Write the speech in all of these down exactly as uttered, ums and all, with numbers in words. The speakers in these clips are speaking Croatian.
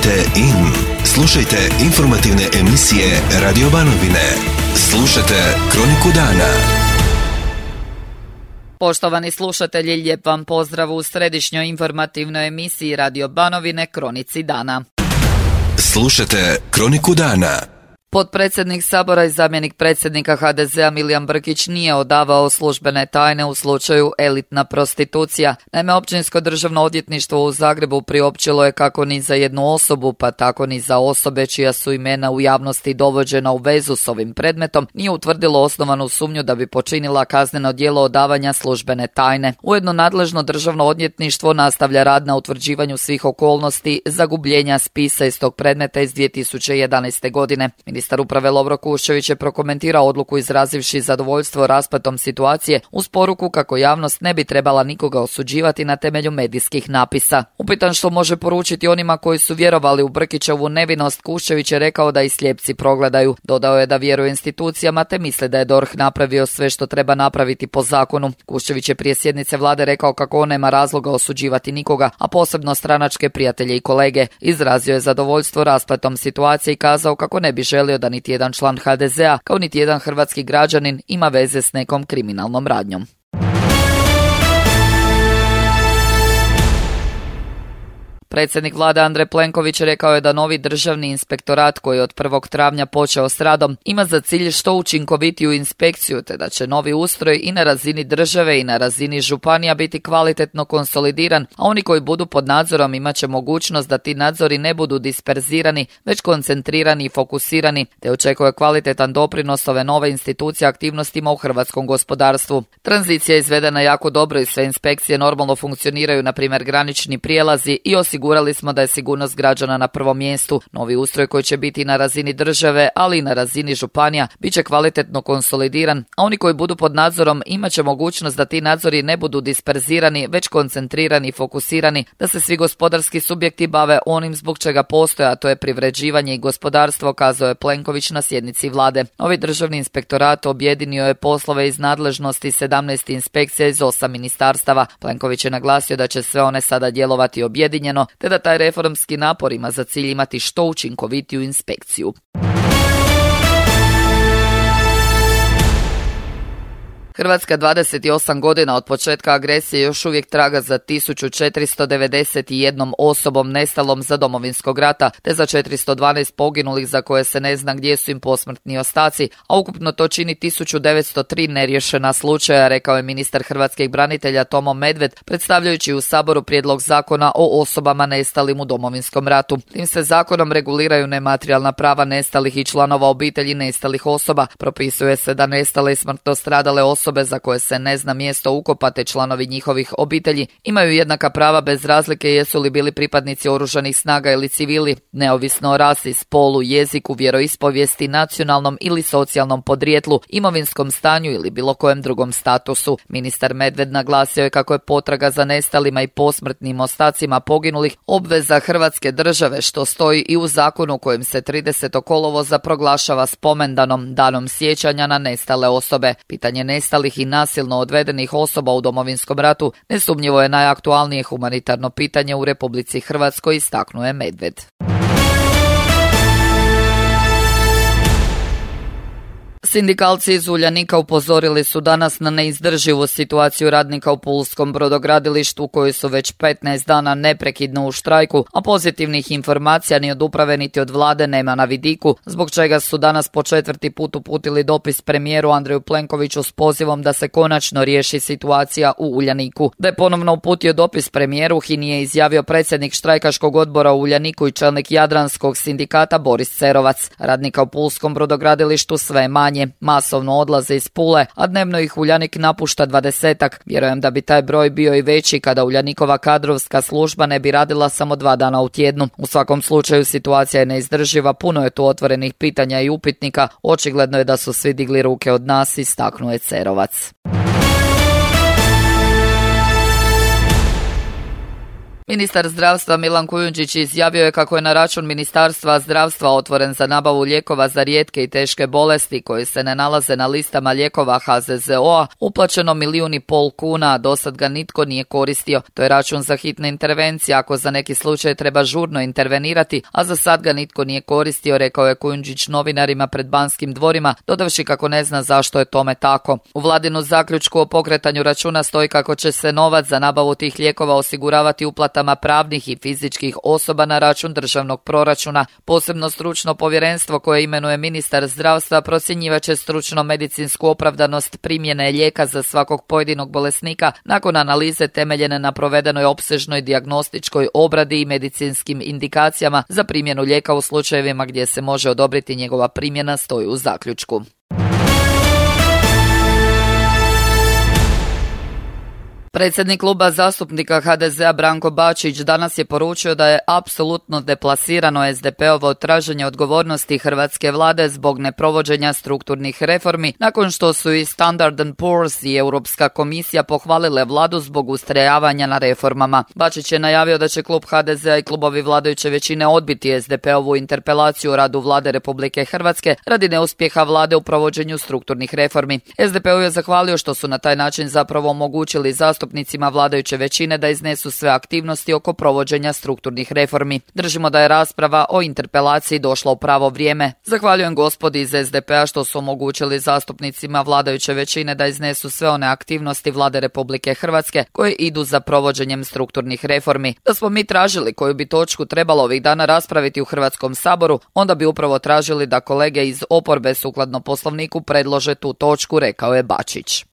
Tunite in. Slušajte informativne emisije Radio Banovine. Slušajte Kroniku dana. Poštovani slušatelji, lijep vam pozdrav u središnjoj informativnoj emisiji Radio Banovine Kronici dana. Slušajte Kroniku dana. Potpredsjednik Sabora i zamjenik predsjednika ha de zea Milijan Brkić nije odavao službene tajne u slučaju elitna prostitucija. Naime, Općinsko državno odvjetništvo u Zagrebu priopćilo je kako ni za jednu osobu, pa tako ni za osobe čija su imena u javnosti dovođena u vezu s ovim predmetom, nije utvrdilo osnovanu sumnju da bi počinila kazneno djelo odavanja službene tajne. Ujedno nadležno državno odvjetništvo nastavlja rad na utvrđivanju svih okolnosti zagubljenja spisa iz tog predmeta iz dvije tisuće jedanaeste. godine. Ministar uprave Lovro Kuščević je prokomentirao odluku izrazivši zadovoljstvo rasplatom situacije uz poruku kako javnost ne bi trebala nikoga osuđivati na temelju medijskih napisa. Upitan što može poručiti onima koji su vjerovali u Brkićevu nevinost, Kuščević je rekao da i slijepci progledaju. Dodao je da vjeruje institucijama te misli da je D O R H napravio sve što treba napraviti po zakonu. Kuščević je prije sjednice vlade rekao kako on nema razloga osuđivati nikoga, a posebno stranačke prijatelje i kolege. Izrazio je zadovoljstvo rasplatom situacije i kazao kako ne bi želio da niti jedan član ha de zea, kao niti jedan hrvatski građanin, ima veze s nekom kriminalnom radnjom. Predsjednik vlade Andrej Plenković rekao je da novi državni inspektorat koji je od prvog travnja počeo s radom ima za cilj što učinkovitiju inspekciju, te da će novi ustroj i na razini države i na razini županija biti kvalitetno konsolidiran, a oni koji budu pod nadzorom imat će mogućnost da ti nadzori ne budu disperzirani, već koncentrirani i fokusirani, te očekuje kvalitetan doprinos ove nove institucije aktivnostima u hrvatskom gospodarstvu. Tranzicija je izvedena jako dobro i sve inspekcije normalno funkcioniraju, na primjer granični prijelazi, i osigurani Osigurali smo da je sigurnost građana na prvom mjestu. Novi ustroj koji će biti na razini države, ali i na razini županija, bit će kvalitetno konsolidiran, a oni koji budu pod nadzorom imat će mogućnost da ti nadzori ne budu disperzirani, već koncentrirani i fokusirani, da se svi gospodarski subjekti bave onim zbog čega postoje, a to je privređivanje i gospodarstvo, kazao je Plenković na sjednici vlade. Novi državni inspektorat objedinio je poslove iz nadležnosti sedamnaest inspekcija iz osam ministarstava. Plenković je naglasio da će sve one sada djelovati objedinjeno, te da taj reformski napor ima za cilj imati što učinkovitiju inspekciju. Hrvatska dvadeset osam godina od početka agresije još uvijek traga za tisuću četiristo devedeset jednom osobom nestalom za Domovinskog rata, te za četiristo dvanaest poginulih za koje se ne zna gdje su im posmrtni ostaci, a ukupno to čini tisuću devetsto tri neriješena slučaja, rekao je ministar hrvatskih branitelja Tomo Medved, predstavljajući u Saboru prijedlog zakona o osobama nestalim u Domovinskom ratu. Tim se zakonom reguliraju nematerijalna prava nestalih i članova obitelji nestalih osoba. Propisuje se da nestale i smrtno stradale osobe Osobe za koje se ne zna mjesto ukopa te članovi njihovih obitelji imaju jednaka prava bez razlike jesu li bili pripadnici oružanih snaga ili civili, neovisno o rasi, spolu, jeziku, vjeroispovijesti, nacionalnom ili socijalnom podrijetlu, imovinskom stanju ili bilo kojem drugom statusu. Ministar Medved naglasio je kako je potraga za nestalima i posmrtnim ostacima poginulih obveza Hrvatske države, što stoji i u zakonu kojim se tridesetog kolovoza proglašava spomendanom danom sjećanja na nestale osobe. Pitanje nestalih i nasilno odvedenih osoba u Domovinskom ratu nesumnjivo je najaktualnije humanitarno pitanje u Republici Hrvatskoj, istaknuo je Medved. Sindikalci iz Uljanika upozorili su danas na neizdrživu situaciju radnika u pulskom brodogradilištu koji su već petnaest dana neprekidno u štrajku, a pozitivnih informacija ni od uprave niti od vlade nema na vidiku, zbog čega su danas po četvrti put uputili dopis premijeru Andreju Plenkoviću s pozivom da se konačno riješi situacija u Uljaniku. Da je ponovno uputio dopis premijeru, H I N I je izjavio predsjednik štrajkaškog odbora u Uljaniku i čelnik Jadranskog sindikata Boris Cerovac. Radnika u pulskom brodogradilištu sve manje. Masovno odlaze iz Pule, a dnevno ih Uljanik napušta dvadesetak. Vjerujem da bi taj broj bio i veći kada Uljanikova kadrovska služba ne bi radila samo dva dana u tjednu. U svakom slučaju situacija je neizdrživa, puno je tu otvorenih pitanja i upitnika. Očigledno je da su svi digli ruke od nas, istaknuo je Cerovac. Ministar zdravstva Milan Kujundžić izjavio je kako je na račun Ministarstva zdravstva otvoren za nabavu lijekova za rijetke i teške bolesti koji se ne nalaze na listama lijekova H Z Z O-a uplaćeno milijun i pol kuna, a dosad ga nitko nije koristio. To je račun za hitne intervencije ako za neki slučaj treba žurno intervenirati, a za sad ga nitko nije koristio, rekao je Kujundžić novinarima pred Banskim dvorima, dodavši kako ne zna zašto je tome tako. U vladinu zaključku o pokretanju računa stoji kako će se novac za nabavu tih lijekova osiguravati uplatama pravnih i fizičkih osoba na račun državnog proračuna. Posebno stručno povjerenstvo koje imenuje ministar zdravstva procjenjivaće stručno medicinsku opravdanost primjene lijeka za svakog pojedinog bolesnika nakon analize temeljene na provedenoj opsežnoj dijagnostičkoj obradi i medicinskim indikacijama za primjenu lijeka u slučajevima gdje se može odobriti njegova primjena, stoji u zaključku. Predsjednik kluba zastupnika H D Z-a Branko Bačić danas je poručio da je apsolutno deplasirano S D P-ovo traženje odgovornosti hrvatske vlade zbog neprovođenja strukturnih reformi, nakon što su i Standard and Poor's i Europska komisija pohvalile vladu zbog ustrajavanja na reformama. Bačić je najavio da će klub H D Z-a i klubovi vladajuće većine odbiti S D P-ovu interpelaciju o radu vlade Republike Hrvatske radi neuspjeha vlade u provođenju strukturnih reformi. S D P-u je zahvalio što su na taj način zapravo omogućili zastupnicima vladajuće većine da iznesu sve aktivnosti oko provođenja strukturnih reformi. Držimo da je rasprava o interpelaciji došla u pravo vrijeme. Zahvaljujem gospodi iz S D P-a što su omogućili zastupnicima vladajuće većine da iznesu sve one aktivnosti vlade Republike Hrvatske koje idu za provođenjem strukturnih reformi. Da smo mi tražili koju bi točku trebalo ovih dana raspraviti u Hrvatskom saboru, onda bi upravo tražili da kolege iz oporbe sukladno Poslovniku predlože tu točku, rekao je Bačić.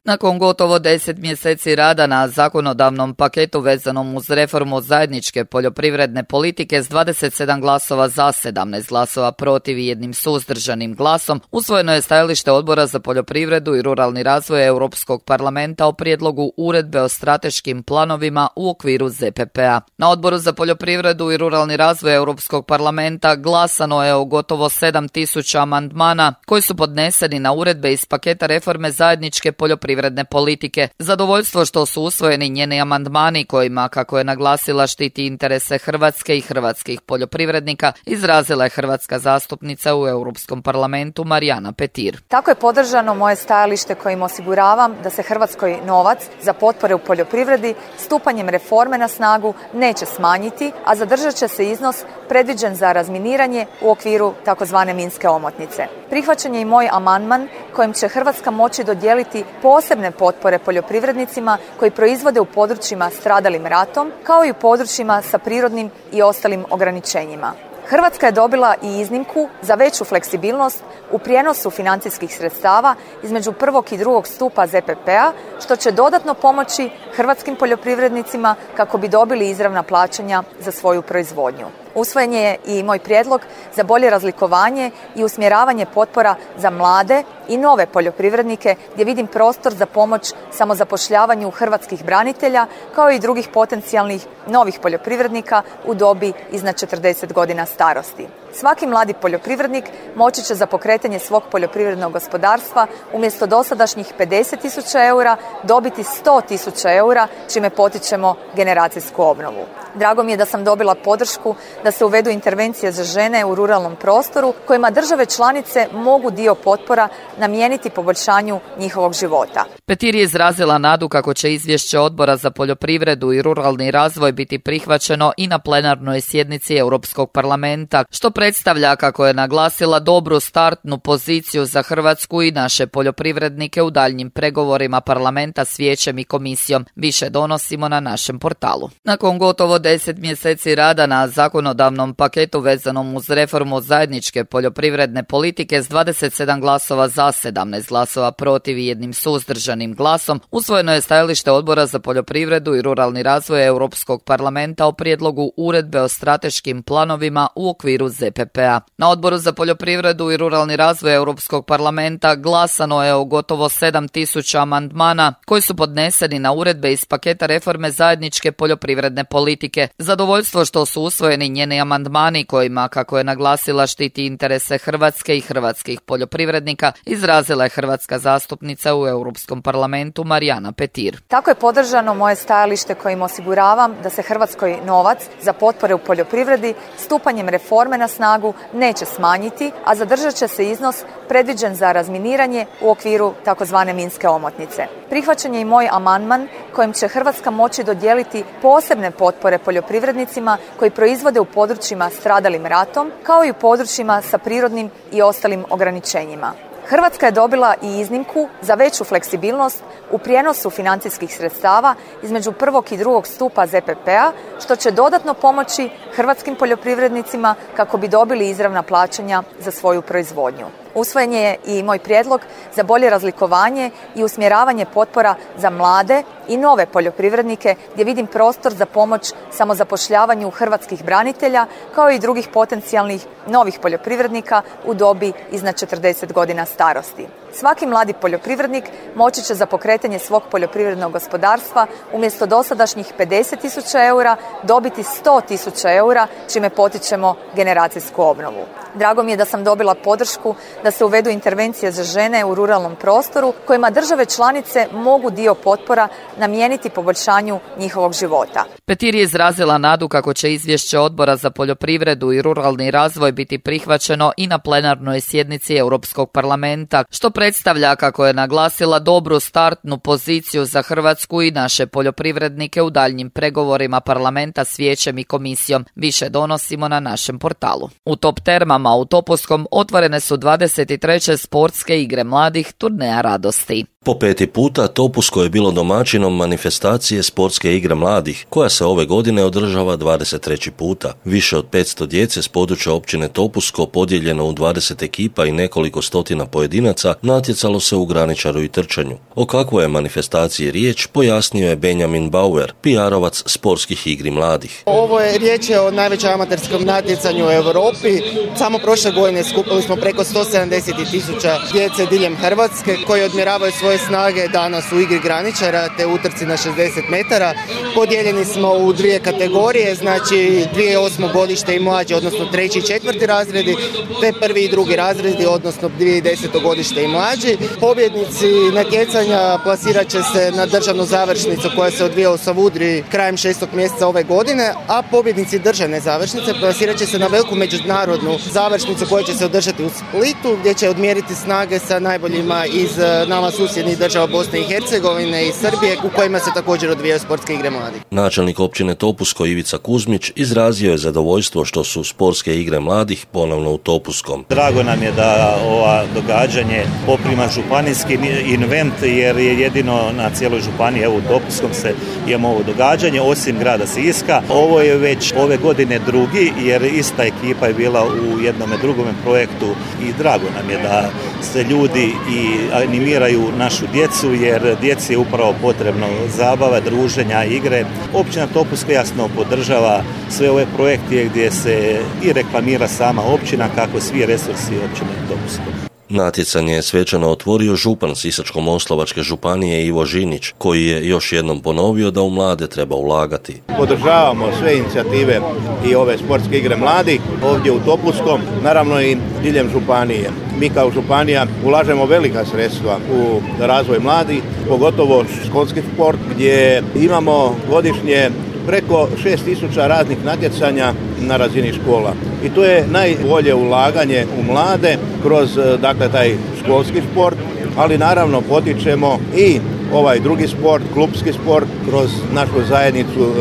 Nakon gotovo deset mjeseci rada na zakonodavnom paketu vezanom uz reformu zajedničke poljoprivredne politike s dvadeset sedam glasova za, sedamnaest glasova protiv i jednim suzdržanim glasom, usvojeno je stajalište Odbora za poljoprivredu i ruralni razvoj Europskog parlamenta o prijedlogu uredbe o strateškim planovima u okviru Z P P-a. Na Odboru za poljoprivredu i ruralni razvoj Europskog parlamenta glasano je o gotovo sedam tisuća amandmana koji su podneseni na uredbe iz paketa reforme zajedničke poljoprivredne politike. Zadovoljstvo što su usvojeni njeni amandmani kojima, kako je naglasila, štiti interese Hrvatske i hrvatskih poljoprivrednika, izrazila je hrvatska zastupnica u Europskom parlamentu Marijana Petir. Tako je podržano moje stajalište kojim osiguravam da se Hrvatskoj novac za potpore u poljoprivredi stupanjem reforme na snagu neće smanjiti, a zadržat će se iznos predviđen za razminiranje u okviru takozvane minske omotnice. Prihvaćen je i moj amandman kojim će Hrvatska moći dodijeliti posebne potpore poljoprivrednicima koji proizvode u područjima stradalim ratom, kao i u područjima sa prirodnim i ostalim ograničenjima. Hrvatska je dobila i iznimku za veću fleksibilnost u prijenosu financijskih sredstava između prvog i drugog stupa Z P P-a, što će dodatno pomoći hrvatskim poljoprivrednicima kako bi dobili izravna plaćanja za svoju proizvodnju. Usvojen je i moj prijedlog za bolje razlikovanje i usmjeravanje potpora za mlade i nove poljoprivrednike, gdje vidim prostor za pomoć samozapošljavanju hrvatskih branitelja, kao i drugih potencijalnih novih poljoprivrednika u dobi iznad četrdeset godina starosti. Svaki mladi poljoprivrednik moći će za pokretanje svog poljoprivrednog gospodarstva umjesto dosadašnjih pedeset tisuća eura dobiti sto tisuća eura, čime potičemo generacijsku obnovu. Drago mi je da sam dobila podršku da se uvedu intervencije za žene u ruralnom prostoru, kojima države članice mogu dio potpora namijeniti poboljšanju njihovog života. Petir je izrazila nadu kako će izvješće Odbora za poljoprivredu i ruralni razvoj biti prihvaćeno i na plenarnoj sjednici Europskog parlamenta, što predstavlja, kako je naglasila, dobru startnu poziciju za Hrvatsku i naše poljoprivrednike u daljnjim pregovorima parlamenta s vijećem i komisijom. Više donosimo na našem portalu. Nakon gotovo deset mjeseci rada na zakonodavnom paketu vezanom uz reformu zajedničke poljoprivredne politike s dvadeset sedam glasova za, sedamnaest glasova protiv i jednim suzdržanim glasom, usvojeno je stajalište Odbora za poljoprivredu i ruralni razvoj Europskog parlamenta o prijedlogu uredbe o strateškim planovima u okviru Z Z P P-a. Na Odboru za poljoprivredu i ruralni razvoj Europskog parlamenta glasano je o gotovo sedam tisuća amandmana koji su podneseni na uredbe iz paketa reforme zajedničke poljoprivredne politike. Zadovoljstvo što su usvojeni njeni amandmani kojima, kako je naglasila, štiti interese Hrvatske i hrvatskih poljoprivrednika, izrazila je hrvatska zastupnica u Europskom parlamentu Marijana Petir. Tako je podržano moje stajalište kojim osiguravam da se Hrvatskoj novac za potpore u poljoprivredi stupanjem reforme na snagu neće smanjiti, a zadržat će se iznos predviđen za razminiranje u okviru takozvane minske omotnice. Prihvaćen je i moj amandman kojim će Hrvatska moći dodijeliti posebne potpore poljoprivrednicima koji proizvode u područjima stradalim ratom, kao i u područjima sa prirodnim i ostalim ograničenjima. Hrvatska je dobila i iznimku za veću fleksibilnost u prijenosu financijskih sredstava između prvog i drugog stupa Z P P-a, što će dodatno pomoći hrvatskim poljoprivrednicima kako bi dobili izravna plaćanja za svoju proizvodnju. Usvojen je i moj prijedlog za bolje razlikovanje i usmjeravanje potpora za mlade i nove poljoprivrednike, gdje vidim prostor za pomoć samozapošljavanju hrvatskih branitelja, kao i drugih potencijalnih novih poljoprivrednika u dobi iznad četrdeset godina starosti. Svaki mladi poljoprivrednik moći će za pokretanje svog poljoprivrednog gospodarstva umjesto dosadašnjih pedeset tisuća eura dobiti sto tisuća eura, čime potičemo generacijsku obnovu. Drago mi je da sam dobila podršku da se uvedu intervencije za žene u ruralnom prostoru, kojima države članice mogu dio potpora namijeniti poboljšanju njihovog života. Petir je izrazila nadu kako će izvješće Odbora za poljoprivredu i ruralni razvoj biti prihvaćeno i na plenarnoj sjednici Europskog parlamenta, što predstavlja, kako je naglasila, dobru startnu poziciju za Hrvatsku i naše poljoprivrednike u daljnjim pregovorima parlamenta s Vijećem i komisijom. Više donosimo na našem portalu. U Top Termama u Topuskom otvorene su dvadeset treće sportske igre mladih Turneja radosti. Po peti puta Topusko je bilo domaćinom manifestacije Sportske igre mladih, koja se ove godine održava dvadeset treći puta. Više od petsto djece s područja općine Topusko, podijeljeno u dvadeset ekipa i nekoliko stotina pojedinaca, natjecalo se u graničaru i trčanju. O kakvoj je manifestaciji riječ, pojasnio je Benjamin Bauer, P R-ovac Sportskih igri mladih. Ovo je riječ je o najvećem amaterskom natjecanju u Europi. Samo prošle godine skupili smo preko sto sedamdeset tisuća djece diljem Hrvatske koji odmjeravaju svoje snage danas u igri graničara te utrci na šezdeset metara. Podijeljeni smo u dvije kategorije, znači dvije osmogodište i mlađe, odnosno treći i četvrti razredi, te prvi i drugi razredi, odnosno dvije desetogodište i mlađi. Pobjednici natjecanja plasirat će se na državnu završnicu koja se odvija u Savudriji krajem šestog mjeseca ove godine, a pobjednici državne završnice plasirat će se na veliku međunarodnu završnicu koja će se održati u Splitu, gdje će odmjeriti snage sa najboljima iz nama susjednih država Bosne i Hercegovine i Srbije, u kojima se također odvijaju sportske igre mladih. Načelnik općine Topusko Ivica Kuzmić izrazio je zadovoljstvo što su sportske igre mladih ponovno u Topuskom. Drago nam je da ova događanje poprima županijski invent, jer je jedino na cijeloj županiji, evo u Topuskom se imamo ovo događanje, osim grada Siska. Ovo je već ove godine drugi, jer ista ekipa je bila u jednom drugom projektu i drago nam je da se ljudi i animiraju našu djecu, jer djeci je upravo potrebno zabava, druženja, igre. Općina Topusko jasno podržava sve ove projekte gdje se i reklamira sama općina, kako svi resursi općine Topusko. Natjecanje je svečano otvorio župan Sisačko-moslavačke županije Ivo Žinić, koji je još jednom ponovio da u mlade treba ulagati. Podržavamo sve inicijative i ove sportske igre mladih ovdje u Topuskom, naravno i diljem županije. Mi kao županija ulažemo velika sredstva u razvoj mladih, pogotovo školski sport, gdje imamo godišnje preko šest tisuća raznih natjecanja na razini škola. I to je najbolje ulaganje u mlade kroz dakle taj školski sport, ali naravno potičemo i ovaj drugi sport, klubski sport, kroz našu zajednicu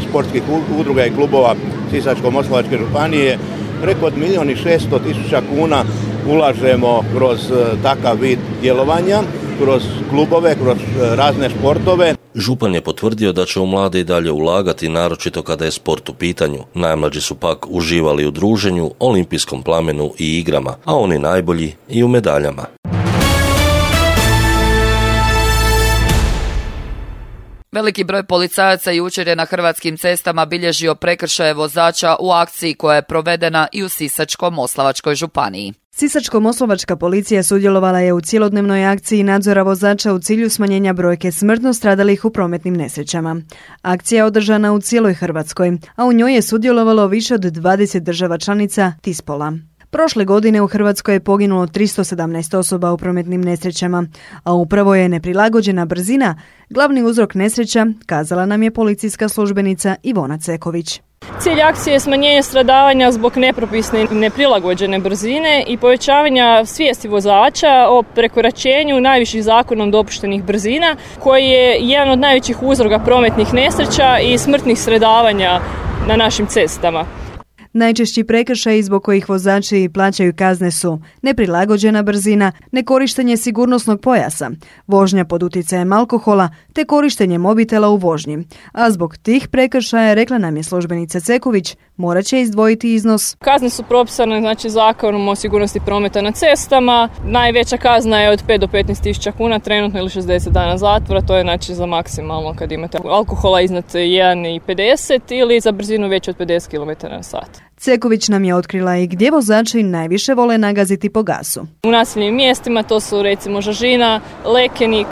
sportskih udruga i klubova Sisačko-moslavačke županije. Preko milijun i šesto tisuća kuna ulažemo kroz takav vid djelovanja, kroz klubove, kroz razne sportove. Župan je potvrdio da će u mlade i dalje ulagati, naročito kada je sport u pitanju. Najmlađi su pak uživali u druženju, olimpijskom plamenu i igrama, a oni najbolji i u medaljama. Veliki broj policajaca jučer je na hrvatskim cestama bilježio prekršaje vozača u akciji koja je provedena i u Sisačko-moslavačkoj županiji. Sisačko-moslavačka policija sudjelovala je u cjelodnevnoj akciji nadzora vozača u cilju smanjenja brojke smrtno stradalih u prometnim nesrećama. Akcija je održana u cijeloj Hrvatskoj, a u njoj je sudjelovalo više od dvadeset država članica Tispola. Prošle godine u Hrvatskoj je poginulo tristo sedamnaest osoba u prometnim nesrećama, a upravo je neprilagođena brzina glavni uzrok nesreća, kazala nam je policijska službenica Ivona Ceković. Cilj akcije je smanjenje stradavanja zbog nepropisne i neprilagođene brzine i povećavanja svijesti vozača o prekoračenju najviših zakonom dopuštenih brzina, koji je jedan od najvećih uzroka prometnih nesreća i smrtnih stradavanja na našim cestama. Najčešći prekršaji zbog kojih vozači plaćaju kazne su neprilagođena brzina, nekorištenje sigurnosnog pojasa, vožnja pod utjecajem alkohola te korištenje mobitela u vožnji. A zbog tih prekršaja, rekla nam je službenica Ceković, morat će izdvojiti iznos. Kazne su propisane znači zakonom o sigurnosti prometa na cestama. Najveća kazna je od pet do petnaest tisuća kuna trenutno ili šezdeset dana zatvora, to je znači za maksimalno kad imate alkohola iznad jedan zarez pedeset ili za brzinu veću od pedeset kilometara na sat. Ceković nam je otkrila i gdje vozači najviše vole nagaziti po gasu. U naseljenim mjestima to su recimo Žažina, Lekenik,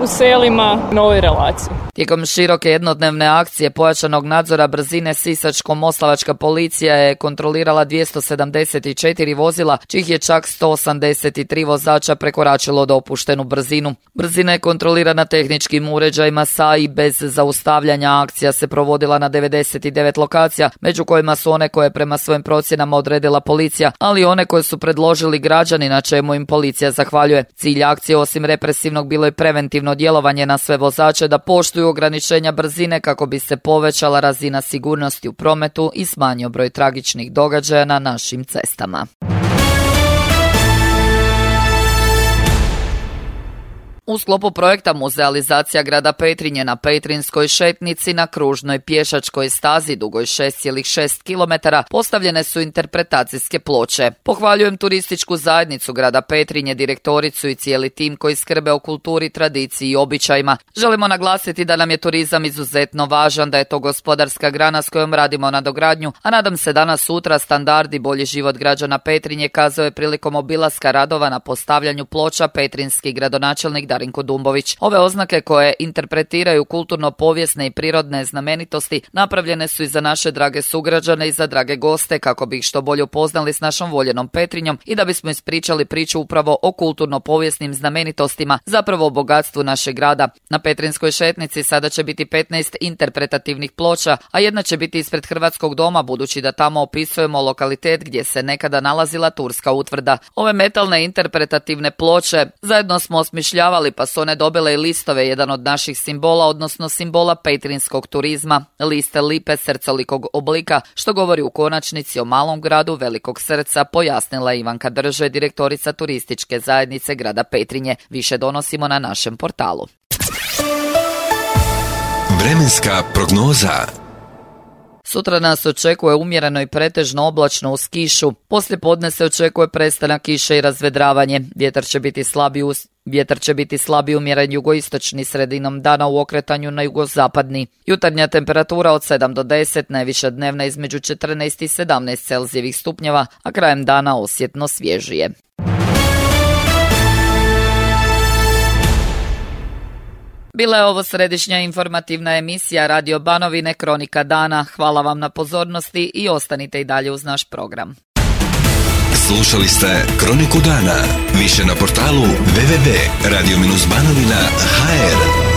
u selima, na ovoj relaciji. Tijekom široke jednodnevne akcije pojačanog nadzora brzine Sisačko-moslavačka policija je kontrolirala dvjesto sedamdeset četiri vozila, čih je čak sto osamdeset tri vozača prekoračilo dopuštenu brzinu. Brzina je kontrolirana tehničkim uređajima sa i bez zaustavljanja. Akcija se provodila na devedeset devet lokacija, među kojima su one koje prema svojim procjenama odredila policija, ali i one koje su predložili građani, na čemu im policija zahvaljuje. Cilj akcije osim represivnog bilo je preventivno djelovanje na sve vozače da poštuju ograničenja brzine kako bi se povećala razina sigurnosti u prometu i smanjio broj tragičnih događaja na našim cestama. U sklopu projekta Muzealizacija grada Petrinje na Petrinjskoj šetnici na kružnoj pješačkoj stazi dugoj šest zarez šest kilometara postavljene su interpretacijske ploče. Pohvaljujem turističku zajednicu grada Petrinje, direktoricu i cijeli tim koji skrbe o kulturi, tradiciji i običajima. Želimo naglasiti da nam je turizam izuzetno važan, da je to gospodarska grana s kojom radimo nadogradnju, a nadam se danas sutra standard i bolji život građana Petrinje, kazao je prilikom obilaska radova na postavljanju ploča petrinjski gradonačelnik Darinko Dumbović. Ove oznake koje interpretiraju kulturno-povijesne i prirodne znamenitosti napravljene su i za naše drage sugrađane i za drage goste kako bi ih što bolje upoznali s našom voljenom Petrinjom i da bismo ispričali priču upravo o kulturno-povijesnim znamenitostima, zapravo o bogatstvu našeg grada. Na Petrinjskoj šetnici sada će biti petnaest interpretativnih ploča, a jedna će biti ispred Hrvatskog doma, budući da tamo opisujemo lokalitet gdje se nekada nalazila turska utvrda. Ove metalne interpretativne ploče zajedno smo osmišljavali, pa su one dobile i listove, jedan od naših simbola, odnosno simbola petrinjskog turizma. Liste lipe srcolikog oblika, što govori u konačnici o malom gradu velikog srca, pojasnila Ivanka Drže, direktorica turističke zajednice grada Petrinje. Više donosimo na našem portalu. Vremenska prognoza. Sutra nas očekuje umjereno i pretežno oblačno uz kišu. Poslije podne se očekuje prestanak kiše i razvedravanje. Vjetar će biti slabi uz Vjetar će biti slabi umjeren jugoistočni, sredinom dana u okretanju na jugozapadni. Jutarnja temperatura od sedam do deset, najviša dnevna između četrnaest i sedamnaest Celzijevih stupnjeva, a krajem dana osjetno svježije. Bila je ovo središnja informativna emisija Radio Banovine Kronika dana. Hvala vam na pozornosti i ostanite i dalje uz naš program. Slušali ste Kroniku dana. Više na portalu w w w tačka radio banovina tačka h r.